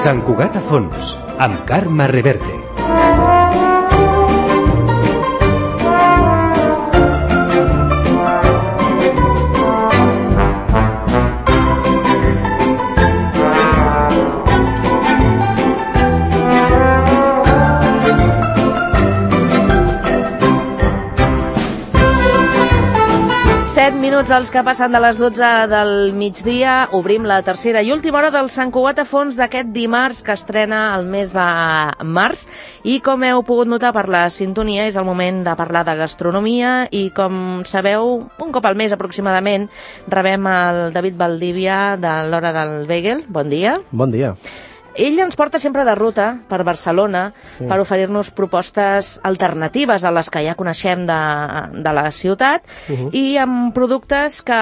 Sant Cugat a fons, amb Carme Reverte. Minuts els que passen de les 12 del migdia. Obrim la tercera i última hora del Sant Cugat a fons d'aquest dimarts que estrena el mes de març. I com heu pogut notar per la sintonia, és el moment de parlar de gastronomia i, com sabeu, un cop al mes aproximadament rebem el David Valdivia de l'Hora del Bagel. Bon dia. Bon dia. Ell ens porta sempre de ruta per Barcelona, sí, per oferir-nos propostes alternatives a les que ja coneixem de la ciutat, i amb productes que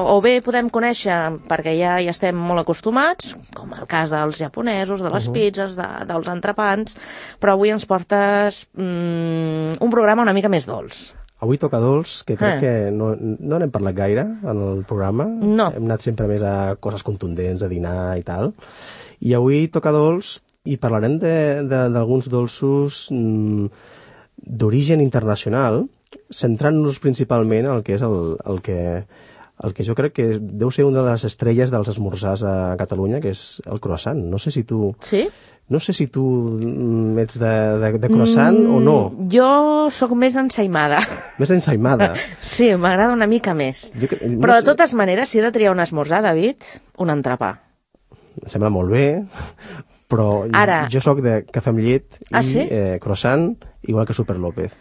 o bé podem conèixer perquè ja hi estem molt acostumats, com el cas dels japonesos, de les pizzas, dels entrepans, però avui ens portes un programa una mica més dolç. Avui toca dolç, que crec que no n'hem parlat gaire en el programa. No. Hem anat sempre més a coses contundents, a dinar i tal. I avui toca dolç i parlarem d'alguns dolços d'origen internacional, centrant-nos principalment en el que és el que jo crec que deu ser una de les estrelles dels esmorzars a Catalunya, que és el croissant. No sé si tu... Sí? No sé si tu ets de croissant o no. Jo sóc més ensaïmada. Més ensaïmada? Sí, m'agrada una mica més. Però de totes maneres, si he de triar un esmorzar, David, un entrepà. Em sembla molt bé, però jo sóc de cafè amb llet i croissant, igual que Super López.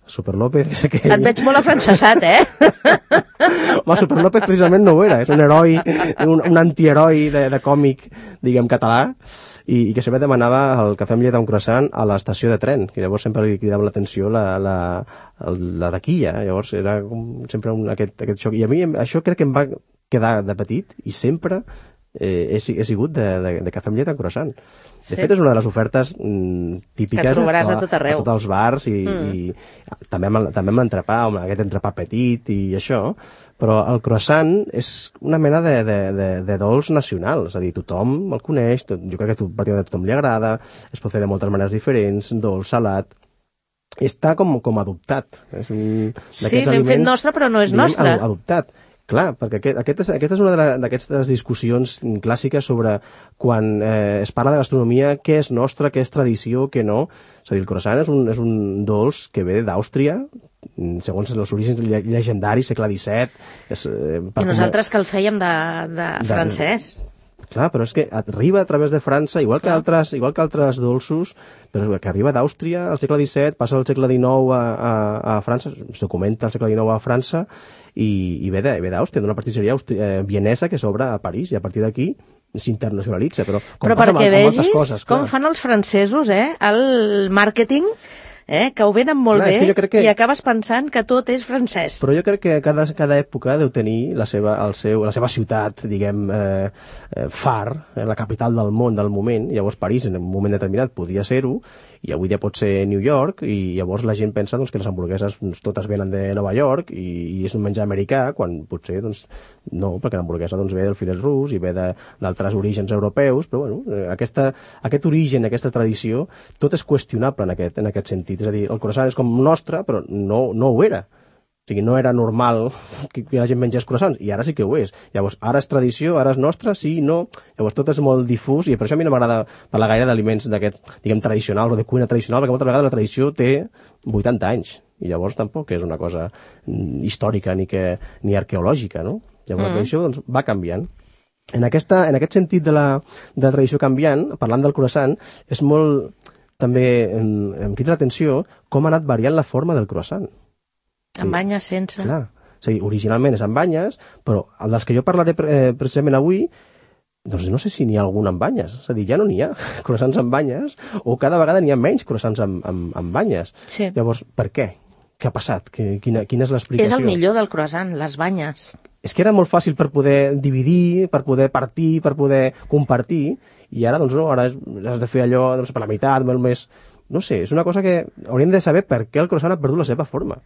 Super López és aquell... Et veig molt afrancesat, Home, Super López precisament no ho era, és un heroi, un antiheroi de còmic, diguem, català, i que sempre demanava el cafè amb llet amb croissant a l'estació de tren, que llavors sempre li cridava l'atenció la taquilla, llavors era sempre aquest xoc. I a mi això crec que em va quedar de petit, i sempre he sigut de cafè amb llet amb croissant. De fet, és una de les ofertes típiques que trobaràs a tot arreu, a tots els bars, i també amb l'entrepà, aquest entrepà petit i això, però el croissant és una mena de dolç nacional, és a dir, tothom el coneix, jo crec que pràcticament a tothom li agrada, es pot fer de moltes maneres diferents, dolç, salat, està com adoptat. Sí, l'hem fet nostre, però no és nostre. Adoptat. Clar, perquè aquesta és una d'aquestes discussions clàssiques sobre quan es parla de gastronomia, què és nostre, què és tradició, què no. És a dir, el croissant és un dolç que ve d'Àustria, segons els orígens llegendaris, segle XVII. I nosaltres que el fèiem de francès. Clar, però és que arriba a través de França, igual que altres dolços, però que arriba d'Àustria al segle XVII, passa al segle XIX a França, es documenta al segle XIX a França, i ve d'Àustria, d'una pastisseria vienesa que s'obre a París, i a partir d'aquí s'internacionalitza. Però perquè vegis com fan els francesos, el màrqueting, que ho venen molt bé, i acabes pensant que tot és francès. Però jo crec que cada època deu tenir la seva ciutat, diguem, far, la capital del món del moment. Llavors París en un moment determinat podia ser-ho, i avui dia pot ser New York, i llavors la gent pensa que les hamburgueses totes venen de Nova York i és un menjar americà, quan potser no, perquè l'hamburguesa ve del filet rus i ve d'altres orígens europeus, però bueno, aquest origen, aquesta tradició, tot és qüestionable en aquest sentit. És a dir, el croissant és com nostre, però no ho era. O sigui, no era normal que la gent mengés croissants, i ara sí que ho és. Llavors, ara és tradició, ara és nostre, sí, no. Llavors, tot és molt difús, i per això a mi no m'agrada parlar gaire d'aliments d'aquest, diguem, tradicional o de cuina tradicional, perquè moltes vegades la tradició té 80 anys, i llavors tampoc és una cosa històrica ni arqueològica, no? Llavors, la tradició va canviant. En aquest sentit de la tradició canviant, parlant del croissant, és molt... També em crida l'atenció com ha anat variant la forma del croissant. Amb banyes, sense... Clar, és a dir, originalment és amb banyes, però dels que jo parlaré precisament avui, doncs no sé si n'hi ha algun amb banyes. És a dir, ja no n'hi ha croissants amb banyes, o cada vegada n'hi ha menys croissants amb banyes. Sí. Llavors, per què? Què ha passat? Quina és l'explicació? És el millor del croissant, les banyes. És que era molt fàcil per poder dividir, per poder partir, per poder compartir, i ara, doncs no, ara has de fer allò per la meitat, molt més... No sé, és una cosa que hauríem de saber per què el croissant ha perdut la seva forma.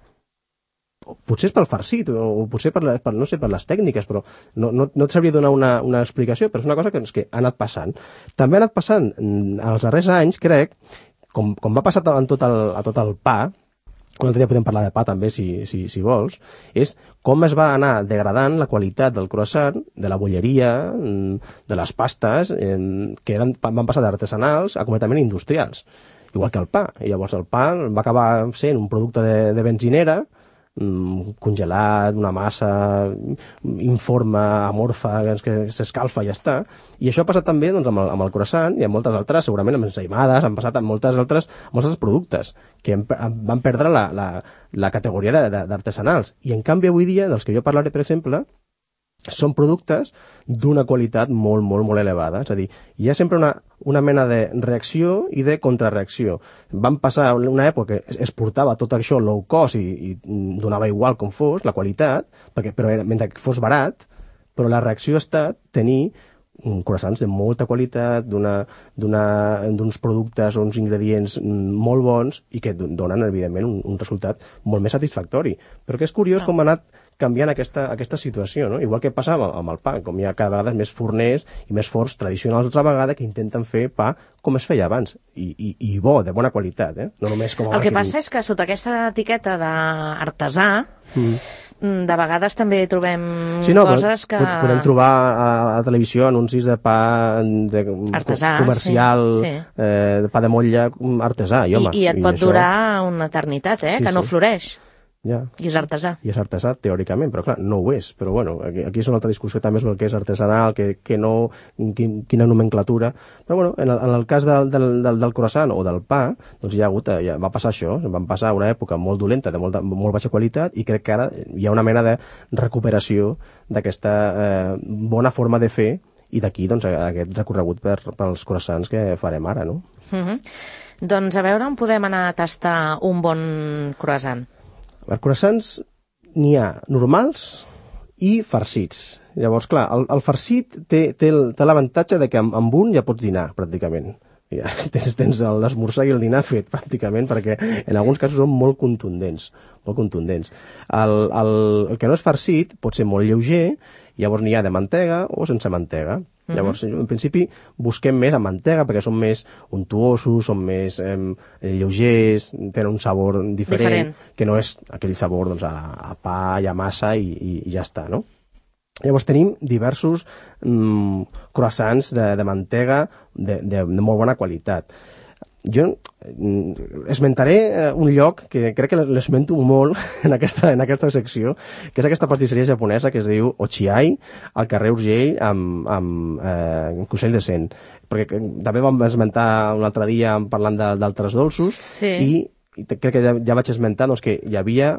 potser és pel farcit, o potser no sé, per les tècniques, però no et sabria donar una explicació, però és una cosa que ha anat passant. També ha anat passant els darrers anys, crec, com va passar a tot el pa, un altre dia podem parlar de pa també, si vols, és com es va anar degradant la qualitat del croissant, de la bolleria, de les pastes, que van passar d'artesanals a completament industrials, igual que el pa. I llavors el pa va acabar sent un producte de benzinera, congelat, una massa informe, amorfa, que s'escalfa i ja està. I això ha passat també doncs, amb el croissant i amb moltes altres, segurament amb ensaïmades, han passat amb molts altres productes que van perdre la categoria d'artesanals. I en canvi avui dia, dels que jo parlaré, per exemple, són productes d'una qualitat molt, molt, molt elevada. És a dir, hi ha sempre una mena de reacció i de contrarreacció. Van passar una època que es portava tot això low cost i donava igual com fos la qualitat, però mentre que fos barat, però la reacció ha estat tenir croissants de molta qualitat, d'uns productes o uns ingredients molt bons i que donen, evidentment, un resultat molt més satisfactori. Però que és curiós com ha anat canviant aquesta situació, no? Igual que passava amb el pa, com hi ha cada vegada més forners i més forns tradicionals altra vegada que intenten fer pa com es feia abans, i bo, de bona qualitat, no només com el que passa és que sota aquesta etiqueta d'artesà de vegades també trobem coses que... Podem trobar a la televisió anuncis de pa artesà, comercial, de pa de motlla artesà, i et pot durar una eternitat, que no floreix. Ja. I és artesà. I és artesà, teòricament, però clar, no ho és. Però bueno, aquí és una altra discussió també sobre el que és artesanal, que no, quina nomenclatura. Però bueno, en el cas del croissant o del pa, doncs ja va passar això. Van passar una època molt dolenta, de molt baixa qualitat, i crec que ara hi ha una mena de recuperació d'aquesta bona forma de fer, i d'aquí doncs, aquest recorregut pels croissants que farem ara, no? Doncs a veure on podem anar a tastar un bon croissant. Els croissants n'hi ha normals i farcits. Llavors, clar, el farcit té l'avantatge de que amb un ja pots dinar, pràcticament. Ja, tens l'esmorzar i el dinar fet, pràcticament, perquè en alguns casos són molt contundents. Molt contundents. El que no és farcit pot ser molt lleuger, llavors n'hi ha de mantega o sense mantega. Llavors, en principi, busquem més amb mantega perquè són més untuosos, són més lleugers, tenen un sabor diferent, que no és aquell sabor doncs, a pa i a massa i ja està, no? Llavors tenim diversos croissants de mantega de molt bona qualitat. Jo esmentaré un lloc que crec que l'esmento molt en aquesta secció, que és aquesta pastisseria japonesa que es diu Ochiai, al carrer Urgell amb Consell de Cent. Perquè també vam esmentar un altre dia parlant d'altres dolços, i crec que ja vaig esmentar doncs, que hi havia,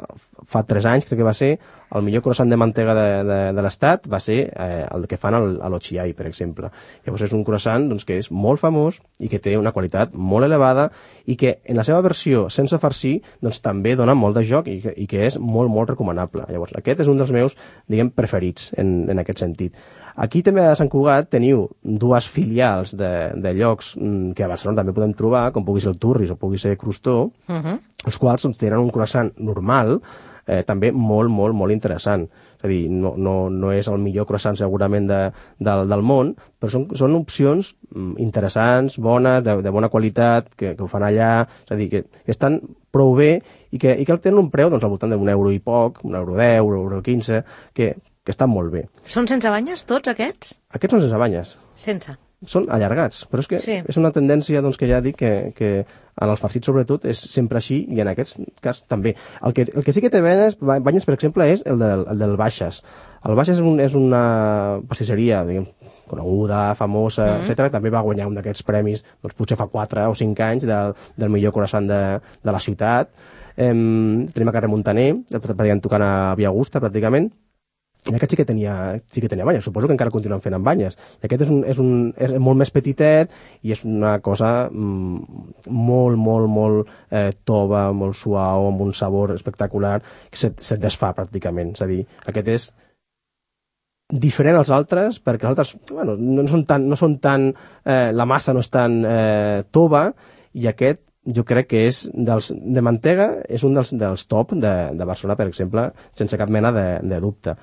fa 3 anys, crec que va ser, el millor croissant de mantega de l'estat va ser el que fan a l'Ochiai, per exemple. Llavors és un croissant doncs, que és molt famós i que té una qualitat molt elevada i que en la seva versió sense farcir doncs, també dona molt de joc i que és molt, molt recomanable. Llavors aquest és un dels meus, diguem, preferits en aquest sentit. Aquí també a Sant Cugat teniu 2 filials de llocs que a Barcelona també podem trobar, com pugui ser el Turris o pugui ser Crostó, els quals doncs, tenen un croissant normal, també molt, molt, molt interessant. És a dir, no és el millor croissant segurament del món, però són opcions interessants, bones, de bona qualitat, que ho fan allà, és a dir, que estan prou bé i que tenen un preu doncs, al voltant d'un euro i poc, €1,10, €1,15, que estan molt bé. Són sense banyes, tots aquests? Aquests són sense banyes. Sense. Són allargats, però és que és una tendència doncs, que ja dic que en els farcits sobretot és sempre així i en aquest cas també. El que sí que té banyes, per exemple, és el del Baixes. El Baixes és una pastisseria, diguem, coneguda, famosa, etc. També va guanyar un d'aquests premis, doncs, potser fa 4 o 5 anys, del millor croissant de la ciutat. Tenim a carrer Montaner, tocant a Via Augusta, pràcticament. I aquest sí que tenia banyes, suposo que encara continuen fent amb banyes. I aquest és molt més petitet i és una cosa molt, molt, molt tova, molt suau, amb un sabor espectacular, que se't desfà pràcticament. És a dir, aquest és diferent als altres, perquè els altres no són tan la massa no és tan tova, i aquest jo crec que és de mantega, és un dels top de Barcelona, per exemple, sense cap mena de dubte.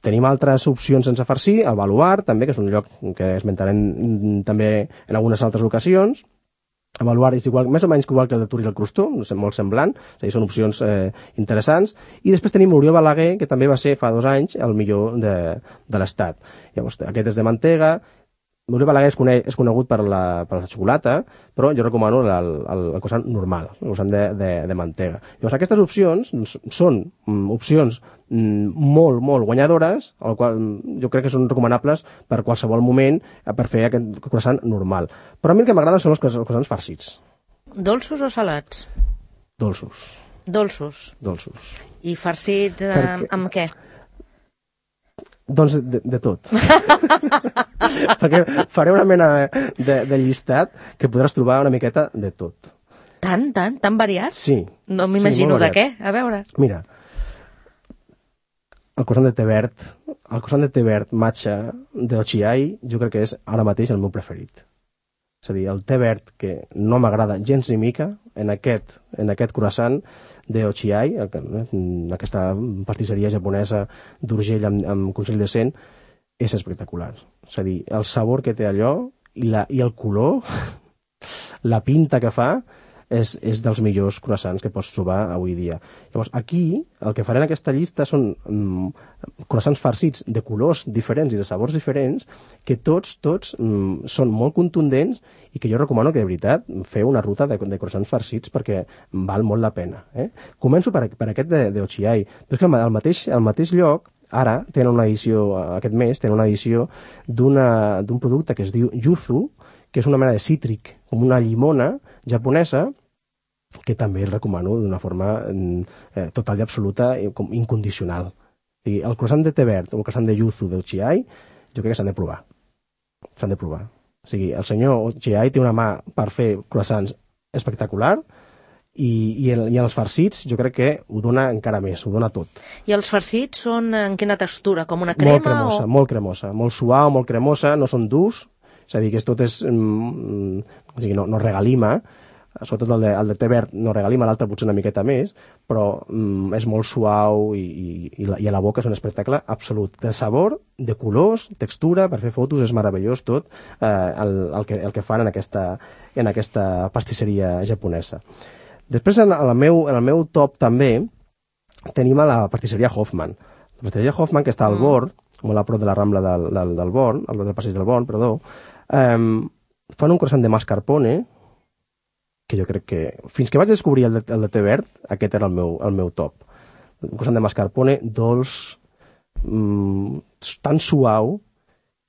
Tenim altres opcions sense farcir, el Baluart, també, que és un lloc que esmentarem també en algunes altres ocasions. El Baluart és igual, més o menys igual que el de Tour i el Crostó, molt semblant, és a dir, són opcions interessants. I després tenim l'Oriol Balaguer, que també va ser fa 2 anys el millor de l'estat. Llavors, aquest és de mantega. L'Oriol Balaguer és conegut per la xocolata, però jo recomano el croissant normal, el croissant de mantega. Llavors, aquestes opcions són opcions molt, molt guanyadores, el qual jo crec que són recomanables per qualsevol moment per fer aquest croissant normal. Però a mi el que m'agraden són els croissants farcits. Dolços o salats? Dolços. Dolços. I farcits amb què? Doncs de tot. Perquè faré una mena de llistat que podràs trobar una miqueta de tot. Tan variat? Sí. No m'imagino de què, a veure. Mira, el croissant de té verd matcha de Ochiai jo crec que és ara mateix el meu preferit. És a dir, el té verd que no m'agrada gens ni mica en aquest croissant de Ochiai, aquesta pastisseria japonesa d'Urgell amb Consell de Cent, és espectacular. És a dir, el sabor que té allò i el color, la pinta que fa, és dels millors croissants que pots trobar avui dia. Llavors, aquí, el que faré en aquesta llista són croissants farcits de colors diferents i de sabors diferents, que tots són molt contundents i que jo recomano que, de veritat, feu una ruta de croissants farcits perquè val molt la pena. Començo per aquest de Ochiai, però és que al mateix lloc, ara, tenen una edició, aquest mes, tenen una edició d'un producte que es diu Yuzu, que és una mena de cítric, com una llimona japonesa, que també el recomano d'una forma total i absoluta, incondicional. El croissant de té verd o el croissant de Yuzu d'Ochiai, jo crec que s'han de provar. O sigui, el senyor Ochiai té una mà per fer croissants espectacular i els farcits jo crec que ho dona encara més, ho dona tot. I els farcits són en quina textura? Com una crema? Molt cremosa, molt suau, molt cremosa, no són durs. És a dir, que tot és... o sigui, no regalima, sobretot el de té verd no regalima, l'altre potser una miqueta més, però és molt suau i a la boca és un espectacle absolut. De sabor, de colors, textura, per fer fotos és meravellós tot el que fan en aquesta pastisseria japonesa. Després, en el meu top també, tenim a la pastisseria Hoffman. La pastisseria Hoffman, que està al Born, molt a prop de la Rambla del Born, del passeig del Born, perdó, fan un croissant de mascarpone que jo crec que, fins que vaig descobrir el de té verd, aquest era el meu top. Un croissant de mascarpone dolç, tan suau,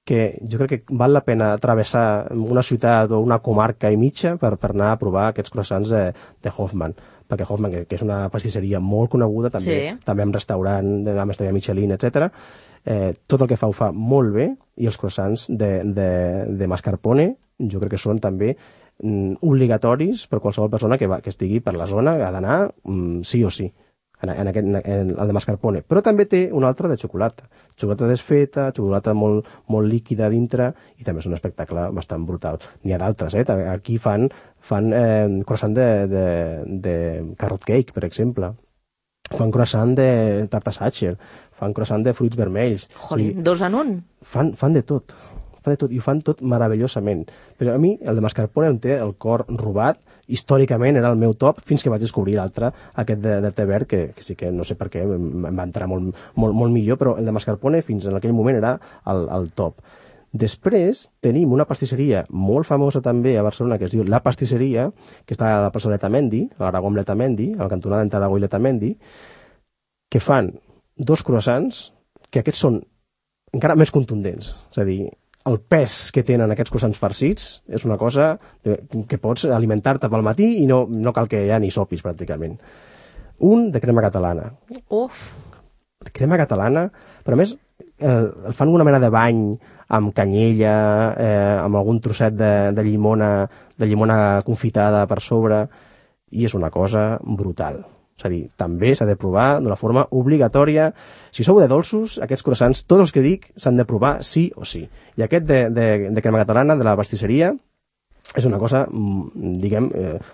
que jo crec que val la pena travessar una ciutat o una comarca i mitja per anar a provar aquests croissants de Hoffman. Perquè Hoffman, que és una pastisseria molt coneguda, també amb restaurant, amb estrella Michelin, etc. Tot el que ho fa molt bé, i els croissants de mascarpone jo crec que són també obligatoris per qualsevol persona que estigui per la zona, ha d'anar sí o sí en el de mascarpone. Però també té un altre de xocolata desfeta, xocolata molt, molt líquida dintre, i també és un espectacle bastant brutal. N'hi ha d'altres, aquí fan croissant de carrot cake, per exemple, fan croissant de tarta Sacher, fan croissant de fruits vermells. Jolín, 2 en 1. Fan de tot, i ho fan tot meravellosament. Però a mi el de mascarpone em té el cor robat, històricament era el meu top, fins que vaig descobrir l'altre, aquest de té verd, que sí que no sé per què em va entrar molt millor, però el de mascarpone fins en aquell moment era el top. Després tenim una pastisseria molt famosa també a Barcelona, que es diu La Pastisseria, que està a la plaça Letamendi, a l'Aragó amb Letamendi, a la cantonada entre Aragó i Letamendi, que fan 2 croissants, que aquests són encara més contundents. És a dir, el pes que tenen aquests croissants farcits és una cosa que pots alimentar-te pel matí i no cal que ja ni sopis, pràcticament. Un de crema catalana. Uf! Crema catalana, però a més el fan una mena de bany amb canyella, amb algun trosset de llimona confitada per sobre, i és una cosa brutal. És a dir, també s'ha de provar d'una forma obligatòria. Si sou de dolços, aquests croissants, tots els que dic, s'han de provar sí o sí. I aquest de crema catalana, de la pastisseria, És una cosa, diguem,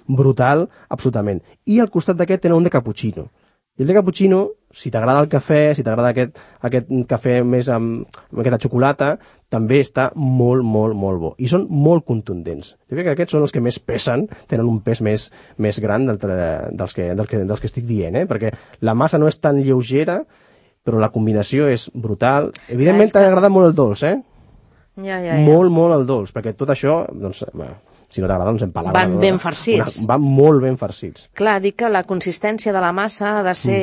brutal, absolutament. I al costat d'aquest tenen un de cappuccino. I el de cappuccino, si t'agrada el cafè, si t'agrada aquest cafè més amb aquesta xocolata, també està molt, molt, molt bo. I són molt contundents. Jo crec que aquests són els que més pesen, tenen un pes més gran dels que estic dient, perquè la massa no és tan lleugera, però la combinació és brutal. Evidentment t'agrada molt el dolç, Ja. Molt, molt el dolç, perquè tot això, doncs, si no t'agrada, doncs empalaga. Van ben farcits. Van molt ben farcits. Clar, dic que la consistència de la massa ha de ser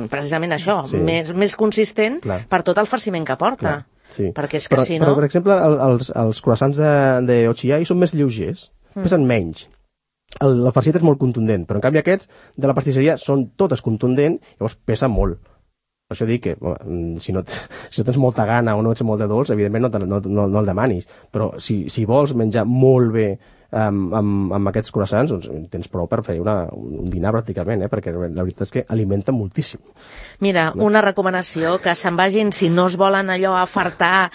precisament això, més consistent per tot el farciment que porta. Sí. Perquè és que si no... Però, per exemple, els croissants de Ochiai són més lleugers, pesen menys. El farcit és molt contundent, però en canvi aquests de la pastisseria són totes contundents, llavors pesa molt. Per això dic que si no tens molta gana o no ets molt de dolç, evidentment no el demanis. Però si vols menjar molt bé amb aquests croissants, doncs tens prou per fer un dinar pràcticament, perquè la veritat és que alimenta moltíssim. Mira, una recomanació, que se'n vagin, si no es volen allò afartar,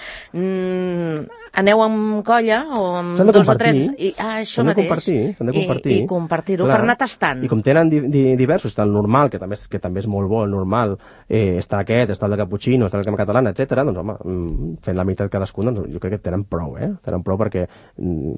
aneu amb colla o amb dos o tres... Això mateix. S'han de compartir. I compartir-ho per anar tastant. I com tenen diversos, està el normal, que també és molt bo, el normal, està aquest, està el de cappuccino, està el de catalana, etc. Doncs home, fent la meitat cadascun, doncs jo crec que tenen prou, tenen prou perquè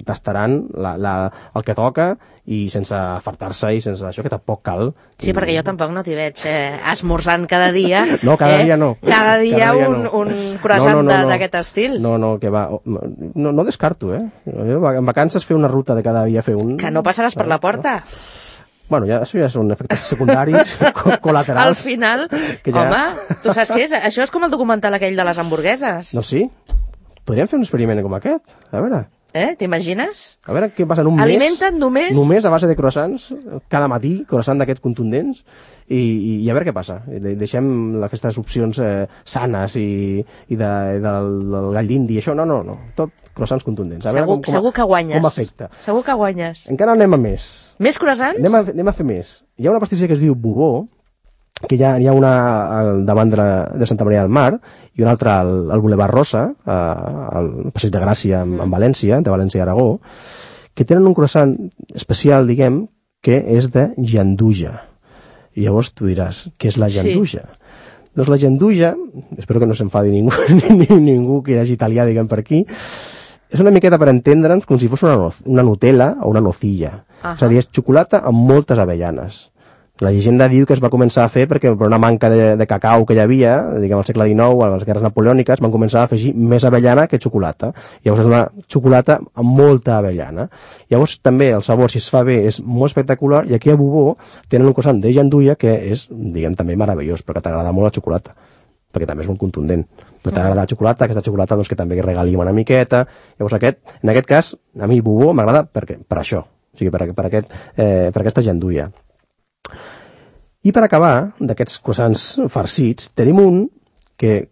tastaran el que toca i sense afartar-se i sense això, que tampoc cal. Sí, perquè jo tampoc no t'hi veig esmorzant cada dia. No, cada dia no. Cada dia un croissant d'aquest estil. No, que va... No descarto, Jo, en vacances fer una ruta de cada dia fer un... Que no passaràs per la porta. Bueno, això ja són efectes secundaris, col·laterals. Al final, home, tu saps què és? Això és com el documental aquell de les hamburgueses. No, sí? Podríem fer un experiment com aquest? A veure... T'imagines? A veure què passa en un mes. Alimenten només... Només a base de croissants, cada matí, croissant d'aquests contundents, i a veure què passa. Deixem aquestes opcions sanes i del gall d'indi, això, no. Tot croissants contundents. A veure segur que guanyes. Com afecta. Segur que guanyes. Encara anem a més. Més croissants? Anem a fer més. Hi ha una pastisseria que es diu Bubó, que hi ha una davant de Santa Maria del Mar i una altra al Boulevard Rosa, al Passeig de Gràcia en València, de València i Aragó, que tenen un croissant especial, diguem, que és de llanduja. I llavors tu diràs, què és la llanduja? Sí. Doncs la llanduja, espero que no s'enfadi ningú que hagi italià, diguem, per aquí, és una miqueta per entendre'ns com si fos una Nutella o una nocilla. És a dir, és xocolata amb moltes avellanes. La llegenda diu que es va començar a fer perquè per una manca de cacau que hi havia, diguem, al segle XIX, a les guerres napoleòniques, van començar a afegir més avellana que xocolata. Llavors és una xocolata amb molta avellana. Llavors també el sabor, si es fa bé, és molt espectacular, i aquí a Bubó tenen un croissant de llandulla que és, diguem, també meravellós, perquè t'agrada molt la xocolata, perquè també és molt contundent. Però t'agrada la xocolata, aquesta xocolata doncs, que també regalim una miqueta. Llavors en aquest cas, a mi Bubó m'agrada per això, o sigui, per aquesta llandulla. I per acabar, d'aquests croissants farcits, tenim un que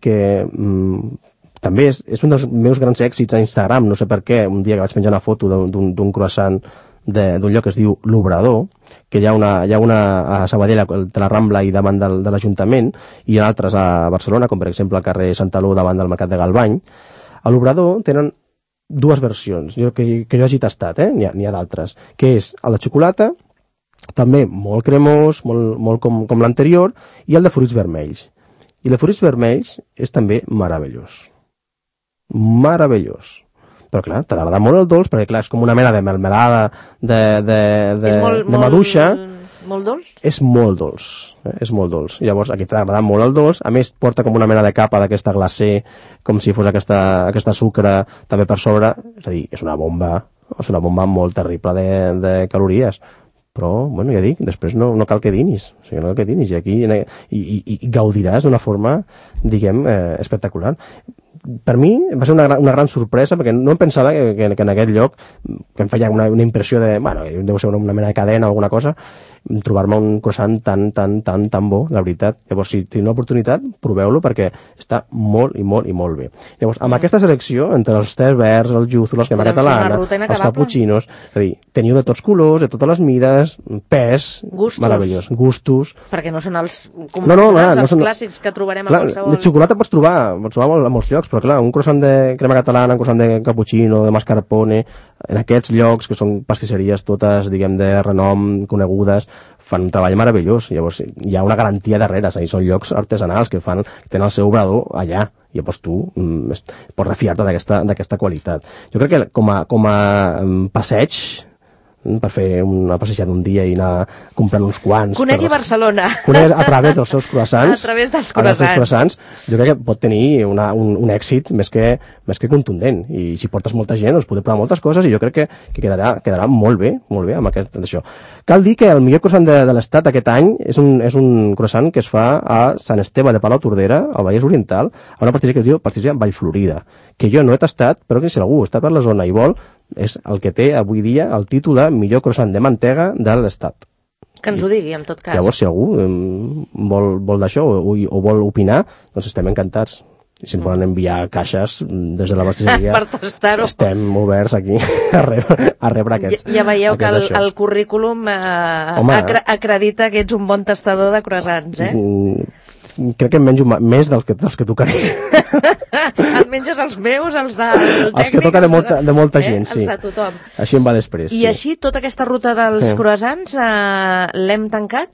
també és un dels meus grans èxits a Instagram, no sé per què, un dia que vaig penjar una foto d'un croissant d'un lloc que es diu L'Obrador, que hi ha una a Sabadell, de la Rambla i davant de l'Ajuntament, i altres a Barcelona, com per exemple al carrer Santaló davant del Mercat de Galvany. A L'Obrador tenen dues versions, que jo hagi tastat, n'hi ha d'altres, que és el de xocolata, també molt cremós, molt com l'anterior, i el de fruits vermells. I el de fruits vermells és també meravellós. Meravellós. Però clar, t'agrada molt el dolç, perquè clar, és com una mena de melmelada de maduixa. Molt dolç? És molt dolç. És molt dolç. Llavors, aquí t'agrada molt el dolç. A més, porta com una mena de capa d'aquesta glacé, com si fos aquesta sucre també per sobre. És a dir, és una bomba molt terrible de calories. Però, bueno, ja dic, després no cal que dinis. O sigui, no cal que dinis. I aquí i gaudiràs d'una forma, diguem, espectacular. Per mi va ser una gran sorpresa, perquè no em pensava que en aquest lloc, que em feia una impressió de, bueno, deu ser una mena de cadena o alguna cosa, trobar-me un croissant tan bo, la veritat. Llavors, si teniu l'oportunitat, proveu-lo perquè està molt i molt bé. Llavors, amb aquesta selecció, entre els tés verds, el yuzu, la crema catalana, els cappuccinos, és a dir, teniu de tots colors, de totes les mides, pes, meravellós, gustos... Perquè no són els convencionals, els clàssics que trobarem a qualsevol... De xocolata pots trobar a molts llocs, però clar, un croissant de crema catalana, un croissant de cappuccino, de mascarpone, en aquests llocs, que són pastisseries totes, diguem, de renom, conegudes, fan un treball meravellós. Llavors, hi ha una garantia darrere, és a dir, són llocs artesanals que tenen el seu obrador allà. Llavors tu pots refiar-te d'aquesta qualitat. Jo crec que com a passeig, per fer una passejada un dia i anar comprant uns quants. Conegui Barcelona. Conegui a través dels seus croissants. A través dels croissants. Jo crec que pot tenir un èxit més que contundent. I si portes molta gent, doncs poder provar moltes coses i jo crec que quedarà molt bé amb això. Cal dir que el millor croissant de l'Estat aquest any és un croissant que es fa a Sant Esteve de Palautordera, al Vallès Oriental, a una pastisseria que es diu Pastisseria Vallflorida, que jo no he tastat, però que si algú està per la zona i vol, és el que té avui dia el títol de millor croissant de mantega de l'Estat. Que ens ho digui, en tot cas. Llavors, si algú vol d'això o vol opinar, doncs estem encantats. I si ens volen enviar caixes des de la pastisseria, per tastar-ho, estem oberts aquí a rebre aquests. Ja veieu que el currículum acredita que ets un bon tastador de croissants, eh? Crec que em menjo més dels que tocaria. Et menges els meus, els del tècnic... Els que toca de molta gent, sí. Els de tothom. Així em va després. I així, tota aquesta ruta dels croissants l'hem tancat?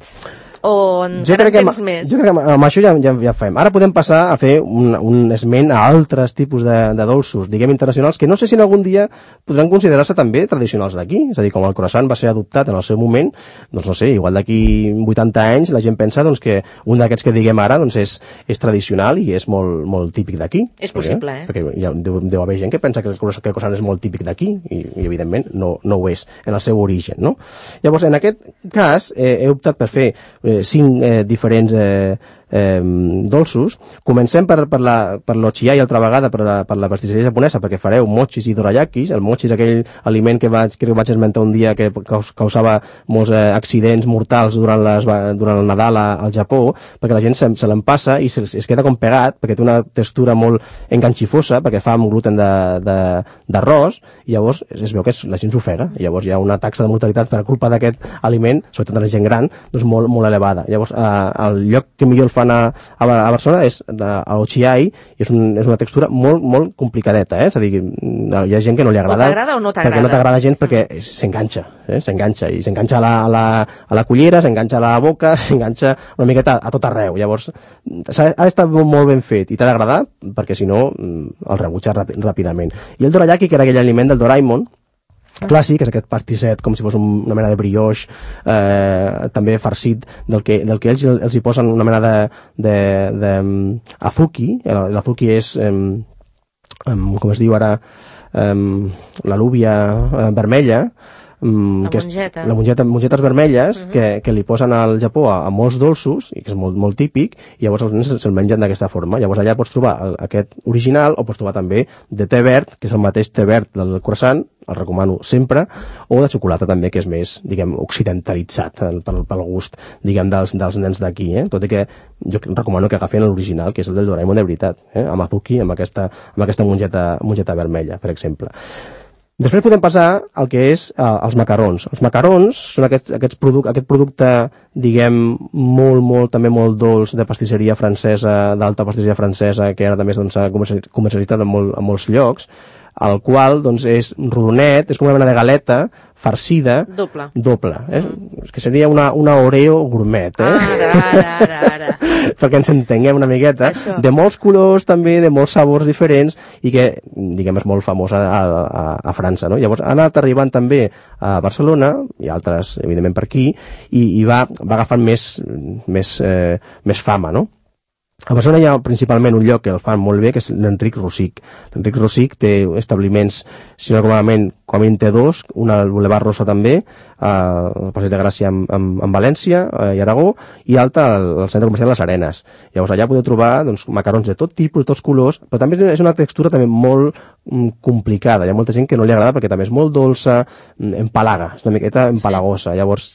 O encara temps més? Jo crec que amb això ja fem. Ara podem passar a fer un esment a altres tipus de dolços, diguem internacionals, que no sé si en algun dia podran considerar-se també tradicionals d'aquí. És a dir, com el croissant va ser adoptat en el seu moment, doncs no sé, igual d'aquí 80 anys la gent pensa doncs, que un d'aquests que diguem ara doncs, és tradicional i és molt típic d'aquí. És possible, Perquè deu haver gent que pensa que el croissant és molt típic d'aquí i evidentment no ho és en el seu origen, no? Llavors, en aquest cas, he optat per fer 5 diferents dolços. Comencem per l'ochiai altra vegada, per la pastisseria japonesa, perquè fareu mochis i dorayakis. El mochi és aquell aliment que vaig esmentar un dia que causava molts accidents mortals durant el Nadal al Japó, perquè la gent se l'empassa i es queda com pegat, perquè té una textura molt enganxifosa, perquè fa amb gluten d'arròs, i llavors es veu que la gent s'ofega, i llavors hi ha una taxa de mortalitat per culpa d'aquest aliment, sobretot de la gent gran, doncs molt elevada. Llavors, el lloc que millor el fan a Barcelona és a l'ochiai, i és una textura molt complicadeta, és a dir, hi ha gent que no li agrada. O t'agrada o no t'agrada? Perquè no t'agrada gens perquè s'enganxa, i s'enganxa a la cullera, s'enganxa a la boca, s'enganxa una miqueta a tot arreu. Llavors, ha d'estar molt ben fet i t'ha d'agradar, perquè si no el rebutja ràpidament. I el dorayaki, que era aquell aliment del Doraemon, clàssic, és aquest pastisset com si fos una mena de brioix, també farcit, del que ells hi posen una mena de azuki. L'azuki és com es diu ara, l'alúvia vermella, mongetes vermelles que li posen al Japó a molts dolços, i que és molt típic, i llavors els nens se'l mengen d'aquesta forma. Llavors allà pots trobar aquest original, o pots trobar també de té verd, que és el mateix té verd del croissant, el recomano sempre, o de xocolata també, que és més, diguem, occidentalitzat pel gust, diguem, dels nens d'aquí, tot i que jo recomano que agafen l'original, que és el del Doraemon de veritat, amb azuki, amb aquesta mongeta vermella, per exemple. Després podem passar al que és els macarons. Els macarons són aquest producte, diguem, també molt dolç de pastisseria francesa, d'alta pastisseria francesa, que ara també s'ha comercialitzat en molts llocs, el qual doncs, és rodonet, és com una mena de galeta farcida, doble. És que seria una Oreo gourmet. Ara. Perquè ens entenguem una miqueta. Això. De molts colors també, de molts sabors diferents, i que, diguem, és molt famosa a França. No? Llavors ha anat arribant també a Barcelona, i altres, evidentment, per aquí, i va agafant més fama, no? A Barcelona hi ha principalment un lloc que el fan molt bé, que és l'Enric Rosic. L'Enric Rosic té establiments, si no com a mínim té 2, un al Boulevard Rosa també, al Passeig de Gràcia en València i Aragó, i alta al centre comercial Les Arenes. Llavors allà podeu trobar doncs, macarrons de tot tipus, de tots colors, però també és una textura també molt complicada. Hi ha molta gent que no li agrada perquè també és molt dolça, empalaga, és una miqueta empalagosa. Llavors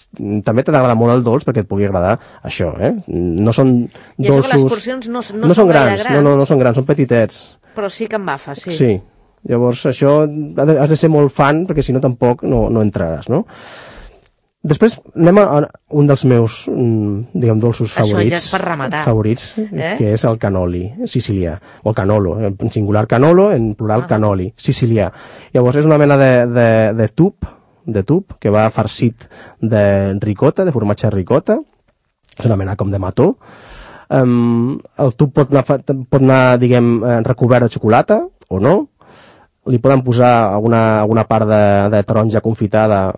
també t'ha d'agradar molt el dolç perquè et pugui agradar això, No són I dolços... això que les porcions no són són grans, grans. No són grans, són petitets. Però sí que embafa, sí. Sí. Llavors això has de ser molt fan perquè si no tampoc no entraràs, no? Després anem a un dels meus, diguem, dolços favorits. Això ja és per rematar. Favorits, que és el cannoli sicilià, o el canolo, en singular canolo, en plural cannoli, sicilià. Llavors és una mena de tub que va farcit de ricota, de formatge ricota, és una mena com de mató. El tub pot anar diguem, recobert de xocolata, o no. Li poden posar alguna part de taronja confitada,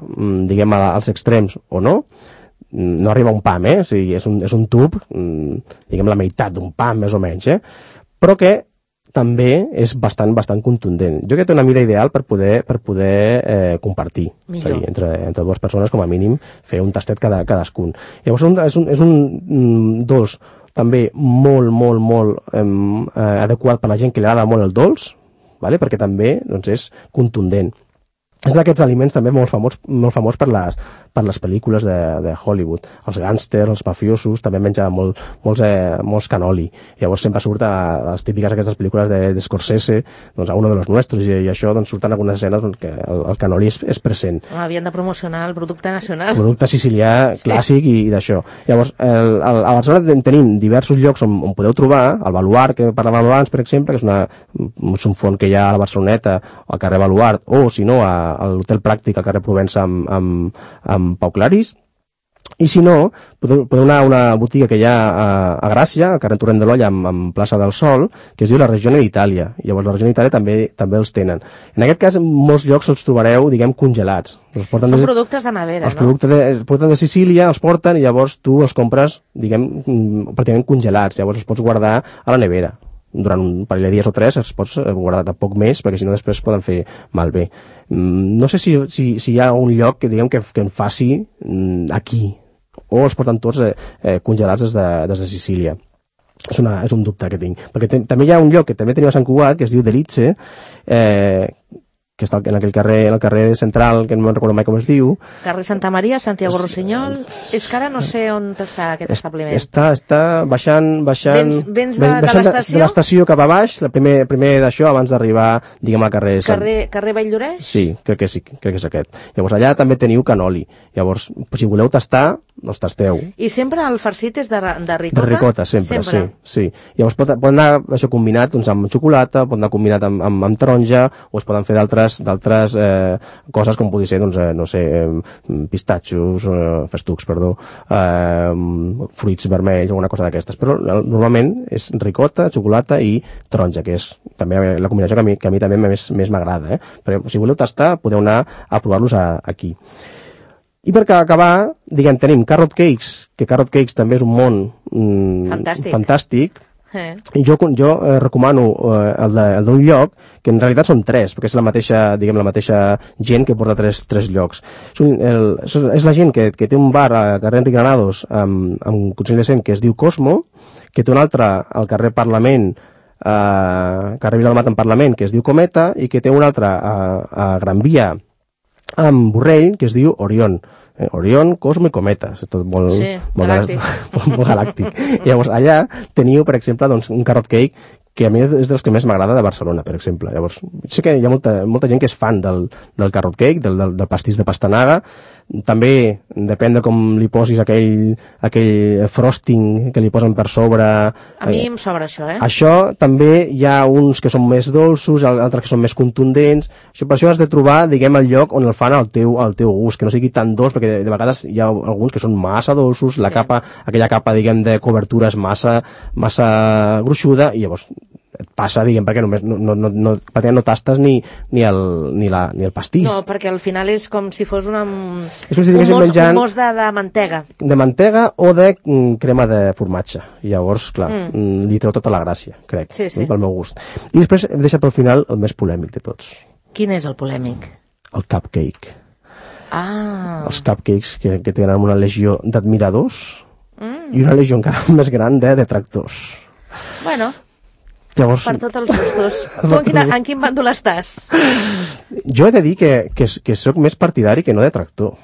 diguem, als extrems, o no. No arriba un pam, O sigui, és un tub, diguem, la meitat d'un pam, més o menys, Però que també és bastant contundent. Jo crec que té una mida ideal per poder compartir. Entre dues persones, com a mínim, fer un tastet cadascun. Llavors és un dolç també molt adequat per a la gent que li agrada molt el dolç, perquè també doncs, és contundent. És d'aquests aliments també molt famós per les pel·lícules de Hollywood. Els gàngsters, els mafiosos, també menjaven molts cannoli. Llavors sempre surt a les típiques aquestes pel·lícules de Scorsese, doncs a Uno de los Nuestros, i això doncs, surten algunes escenes que el cannoli és present. Havien de promocionar el producte nacional. El producte sicilià clàssic i d'això. Llavors, a Barcelona tenim diversos llocs on podeu trobar, el Baluard, que parlàvem abans, per exemple, que és un font que hi ha a la Barceloneta, al carrer Baluard, o si no, a l'Hotel Pràctic al carrer Provença amb Pau Claris, i si no, podeu anar a una botiga que hi ha a Gràcia, al carrer Torrent de l'Olla amb Plaça del Sol, que es diu la Regione d'Itàlia. Llavors la Regione d'Itàlia també els tenen. En aquest cas, en molts llocs els trobareu, diguem, congelats. Són productes de nevera, no? Els porten de Sicília, els porten i llavors tu els compres, diguem, pràcticament congelats. Llavors els pots guardar a la nevera. Durant un parell de dies o 3 es pots guardar tampoc més, perquè si no després poden fer malbé. No sé si hi ha un lloc que diguem que en faci aquí, o els porten tots congelats des de Sicília. És un dubte que tinc. Perquè també hi ha un lloc que també teniu a Sant Cugat, que es diu Delice, que està en el carrer central, que no me'n recordo mai com es diu. Carrer Santa Maria, Santiago Rossinyol. És que ara no sé on està aquest establiment. Està baixant... Vens de l'estació? De l'estació cap a baix, primer d'això, abans d'arribar, diguem, al carrer... Carrer Valldoreix? Sí, crec que és aquest. Llavors allà també teniu cannoli. Llavors, si voleu tastar, doncs tasteu. I sempre el farcit és de ricota? De ricota, sempre. Sí. Llavors pot anar això combinat doncs, amb xocolata, pot anar combinat amb taronja, o es poden fer d'altres coses com pugui ser, doncs, no sé, pistatxos, festucs, fruits vermells, alguna cosa d'aquestes. Però normalment és ricota, xocolata i taronja, que és també la combinació que a mi també més m'agrada. Però si voleu tastar, podeu anar a provar-los aquí. I per acabar, diguem, tenim Carrot Cakes, que Carrot Cakes també és un món fantàstic. I jo recomano el d'un lloc, que en realitat són 3, perquè és la mateixa gent que porta 3 llocs. És la gent que té un bar a carrer Enric Granados amb Consell de Cent que es diu Cosmo, que té un altre al carrer Parlament, carrer Viladomat en Parlament, que es diu Cometa, i que té un altre a Gran Via amb Borrell, que es diu Orion. Orion, Cosmo i Cometa. És tot molt galàctic. Llavors, allà teniu, per exemple, doncs, un carrot cake que a mi és dels que més m'agrada de Barcelona, per exemple. Llavors, sé que hi ha molta gent que és fan del carrot cake, del pastís de pastanaga. També depèn de com li posis aquell frosting que li posen per sobre. A mi em sobra això, Això també hi ha uns que són més dolços, altres que són més contundents. Per això has de trobar, diguem, el lloc on el fan al teu gust, que no sigui tan dolç, perquè de vegades hi ha alguns que són massa dolços, aquella capa, diguem, de cobertura és massa gruixuda, i llavors et passa, diguem, perquè només no tastes ni el pastís. No, perquè al final és com si fos un mos de mantega. De mantega o de crema de formatge. Llavors, clar, li treu tota la gràcia, crec, pel meu gust. I després hem deixat pel final el més polèmic de tots. Quin és el polèmic? El cupcake. Els cupcakes que tenen una legió d'admiradors i una legió encara més gran de detractors. Bueno, llavors, per tots els gustos. Tu en quin bàndol estàs? Jo he de dir que sóc més partidari que no detractor.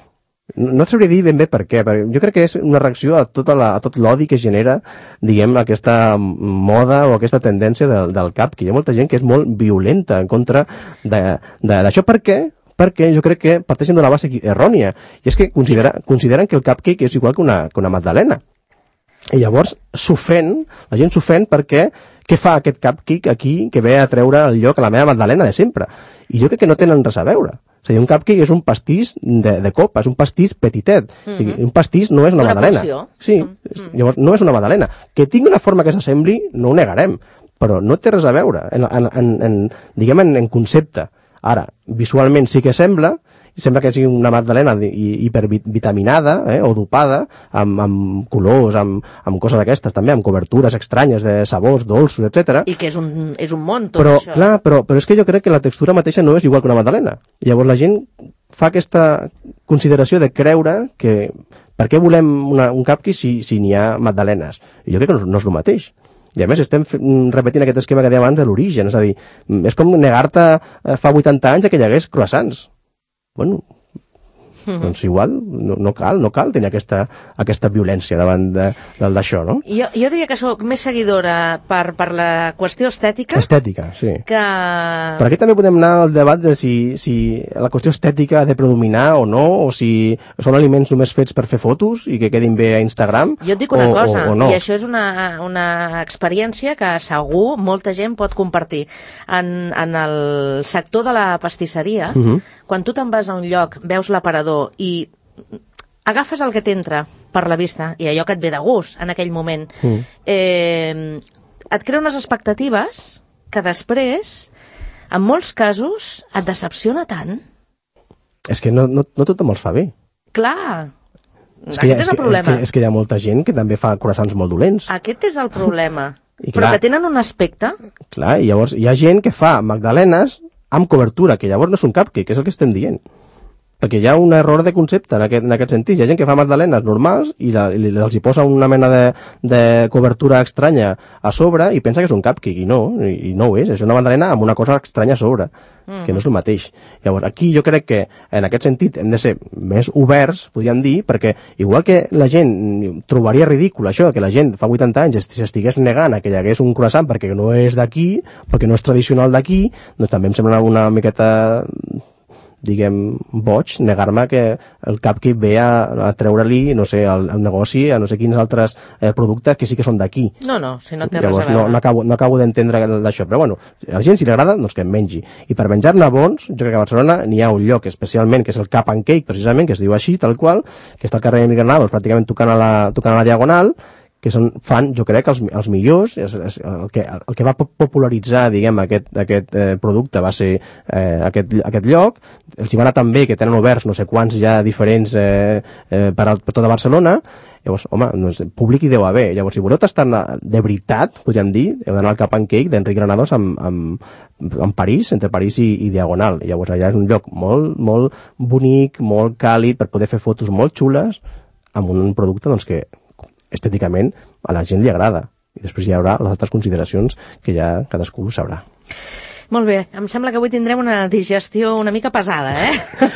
No et sabria dir ben bé per què, perquè jo crec que és una reacció a tot l'odi que genera, diguem, aquesta moda o aquesta tendència del cupcake. Hi ha molta gent que és molt violenta en contra d'això. Per què? Perquè jo crec que parteixen d'una base errònia, i és que consideren que el cupcake és igual que una magdalena. I llavors la gent s'ofèn perquè què fa aquest cupcake aquí que ve a treure el lloc a la meva magdalena de sempre? I jo crec que no tenen res a veure. És a dir, un cupcake és un pastís de copa, és un pastís petitet. O sigui, un pastís no és una magdalena. Sí, llavors no és una magdalena. Que tingui una forma que s'assembli, no ho negarem, però no té res a veure diguem, en concepte. Ara, visualment sí que sembla que sigui una magdalena hipervitaminada o dopada amb colors, amb coses d'aquestes també, amb cobertures estranyes de sabors, dolços, etc. I que és un món tot però, això. Clar, però és que jo crec que la textura mateixa no és igual que una magdalena. Llavors la gent fa aquesta consideració de creure que per què volem un cupcake si n'hi ha magdalenes? I jo crec que no és el mateix. I a més estem repetint aquest esquema que dèiem abans de l'origen, és a dir, és com negar-te fa 80 anys que hi hagués croissants. Bueno, doncs igual no cal tenir aquesta violència davant d'això, no? Jo diria que sóc més seguidora per la qüestió estètica. Estètica, sí. Que... Per aquí també podem anar al debat de si la qüestió estètica ha de predominar o no, o si són aliments només fets per fer fotos i que quedin bé a Instagram. Jo et dic una cosa, o no. I això és una experiència que segur molta gent pot compartir. En el sector de la pastisseria, quan tu te'n vas a un lloc, veus l'aparador i agafes el que t'entra per la vista i allò que et ve de gust en aquell moment, et crea unes expectatives que després, en molts casos, et decepciona tant. És que no tothom els fa bé. Clar, aquest és el problema. És que hi ha molta gent que també fa croissants molt dolents. Aquest és el problema. Clar, però que tenen un aspecte. Clar, i llavors hi ha gent que fa magdalenes amb cobertura, que llavors no és un cupcake, que és el que estem dient. Perquè hi ha un error de concepte en aquest sentit. Hi ha gent que fa magdalenes normals i els hi posa una mena de cobertura estranya a sobre i pensa que és un cupcake, i no ho és. És una magdalena amb una cosa estranya a sobre, que no és el mateix. Llavors, aquí jo crec que en aquest sentit hem de ser més oberts, podríem dir, perquè igual que la gent trobaria ridícul això, que la gent fa 80 anys s'estigués negant a que hi hagués un croissant perquè no és d'aquí, perquè no és tradicional d'aquí, doncs també em sembla una miqueta, diguem, boig, negar-me que el cupcake ve a treure-li, no sé, al negoci, a no sé quins altres productes que sí que són d'aquí. No, si no té res a veure. No acabo d'entendre d'això, però bueno, a la gent si li agrada, doncs que en mengi. I per menjar-ne bons, jo crec que a Barcelona n'hi ha un lloc especialment, que és el Cup and Cake, precisament, que es diu així, tal qual, que està al carrer Emili Granados, pràcticament tocant a la Diagonal, que fan, jo crec, els millors. El que va popularitzar, diguem, aquest producte va ser aquest lloc. Els hi va anar tan bé que tenen oberts no sé quants ja diferents per tota Barcelona. Llavors, home, doncs, públic hi deu haver. Llavors, si voleu tastar de veritat, podríem dir, heu d'anar al Cup and Cake d'Enric Granados en París, entre París i Diagonal. Llavors, allà és un lloc molt, molt bonic, molt càlid, per poder fer fotos molt xules amb un producte, doncs, que estèticament a la gent li agrada. I després hi haurà les altres consideracions que ja cadascú sabrà. Molt bé, em sembla que avui tindrem una digestió una mica pesada,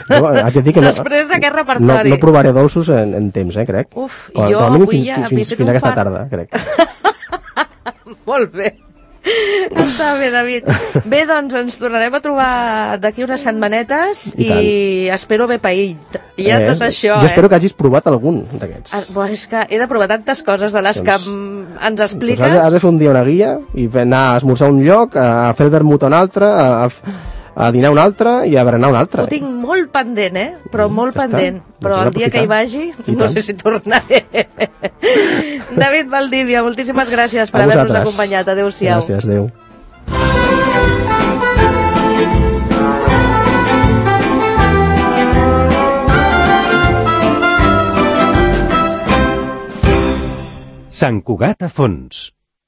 Jo haig de dir que després d'aquest repertori. No provaré dolços en temps, crec. Uf, jo avui ja fins aquesta tarda, crec. Molt bé. Està bé, David. Bé, doncs ens tornarem a trobar d'aquí unes setmanetes i espero haver paït. I ja tot això, Jo espero que hagis provat algun d'aquests. És que he de provar tantes coses de les que ens expliques. Doncs has de fer un dia una guia i anar a esmorzar a un lloc, a fer el vermut a un altre, a dinar un altre i a berenar un altre. Ho tinc molt pendent, però molt pendent. Però el dia que hi vagi, no sé si tornaré. David Valdivia, moltíssimes gràcies per haver-nos acompanyat. Adéu-siau. Gràcies, adéu. Sant Cugat a fons.